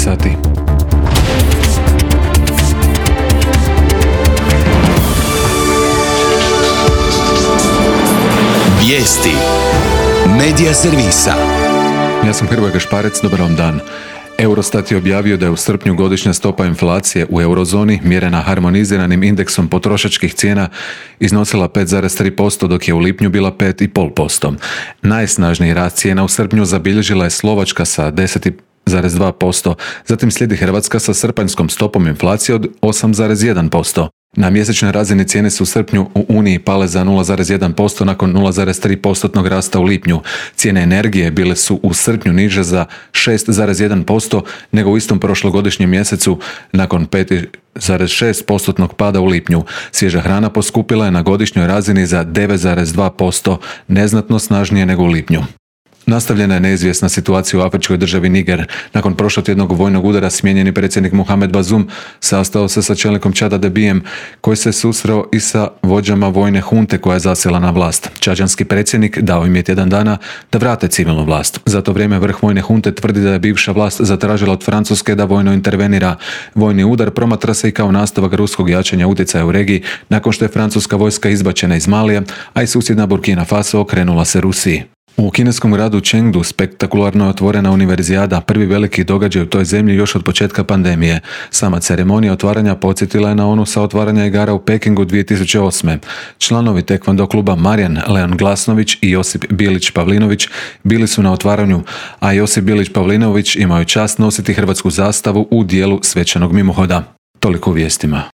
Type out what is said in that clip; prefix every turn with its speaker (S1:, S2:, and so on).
S1: sati.
S2: Vijesti Medija servisa.
S1: Ja sam Hrvoje Gašparec, dobar vam dan. Eurostat je objavio da je u srpnju godišnja stopa inflacije u eurozoni, mjerena harmoniziranim indeksom potrošačkih cijena, iznosila 5,3%, dok je u lipnju bila 5,5%. Najsnažniji rast cijena u srpnju zabilježila je Slovačka sa 10,2%, zatim slijedi Hrvatska sa srpanjskom stopom inflacije od 8,1%. Na mjesečnoj razini cijene su u srpnju u Uniji pale za 0,1% nakon 0,3% rasta u lipnju. Cijene energije bile su u srpnju niže za 6,1% nego u istom prošlogodišnjem mjesecu nakon 5,6% pada u lipnju. Svježa hrana poskupila je na godišnjoj razini za 9,2%, neznatno snažnije nego u lipnju. Nastavljena je neizvjesna situacija u afričkoj državi Niger. Nakon prošlotjednog vojnog udara smijenjeni predsjednik Mohamed Bazoum sastao se sa čelnikom Čada Debijem, koji se susreo i sa vođama vojne hunte koja je zasjela na vlast. Čađanski predsjednik dao im je tjedan dana da vrate civilnu vlast. Za to vrijeme vrh vojne hunte tvrdi da je bivša vlast zatražila od Francuske da vojno intervenira. Vojni udar promatra se i kao nastavak ruskog jačanja utjecaja u regiji nakon što je francuska vojska izbačena iz Malija, a i susjedna Burkina Faso okrenula se Rusiji. U kineskom gradu Chengdu spektakularno je otvorena univerzijada, prvi veliki događaj u toj zemlji još od početka pandemije. Sama ceremonija otvaranja podsjetila je na onu sa otvaranja igara u Pekingu 2008. Članovi tekvando kluba Marijan Leon Glasnović i Josip Bilić-Pavlinović bili su na otvaranju, a Josip Bilić-Pavlinović imao je čast nositi hrvatsku zastavu u dijelu svečanog mimohoda. Toliko u vijestima.